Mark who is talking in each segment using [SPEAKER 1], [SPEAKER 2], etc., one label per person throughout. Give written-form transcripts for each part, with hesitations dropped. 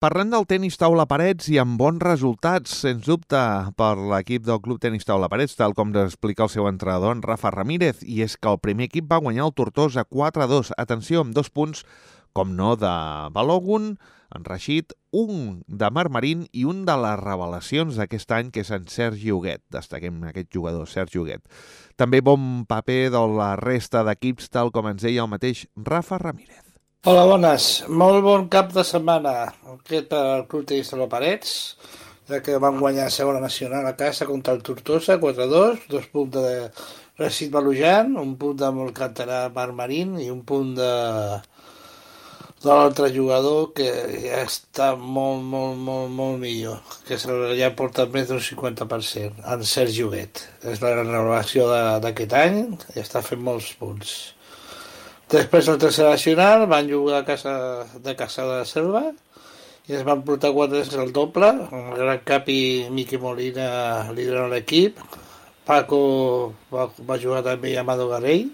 [SPEAKER 1] Parlant del tenis taula parets i amb bons resultats, sens dubte, per l'equip del Club Tenis Taula Parets, tal com ens explica el seu entrenador, en Rafa Ramírez, i és que el primer equip va guanyar el Tortosa 4-2. Atenció, amb 2 punts, com no, de Balogun, en Rashid, un de Marmarín i un de les revelacions d'aquest any, que és en Sergi Huguet. Destaquem aquest jugador, Sergi Huguet. També bon paper de la resta d'equips, tal com ens deia el mateix Rafa Ramírez.
[SPEAKER 2] Hola, bones. Molt bon cap de setmana aquest pel Club Tenis Taula Parets, ja que van guanyar segona nacional a casa contra el Tortosa, 4-2, 2 punts de Rashid Balujan, un punt de Molcantarà Marmarín i un punt de l'altre jugador que ja està molt millor, que ja porta més d'un 50%, en Sergi Huguet. És la renovació d'aquest any i està fent molts punts. Després la tercera nacional van jugar a casa de la Selva i es van portar 4 al doble, el Gran Cap i Miqui Molina liderant l'equip, Paco va jugar també a Amado Garell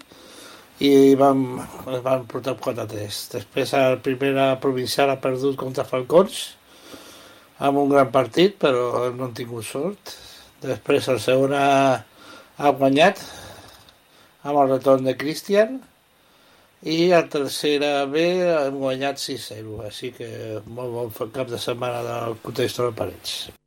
[SPEAKER 2] i es van portar 4-3. Després el primera provincial ha perdut contra Falcons amb un gran partit, però no han tingut sort. Després el segon ha guanyat amb el retorn de Cristian, i el tercera B hem guanyat 6-0, així que molt bon cap de setmana del Club Tenis Taula Parets.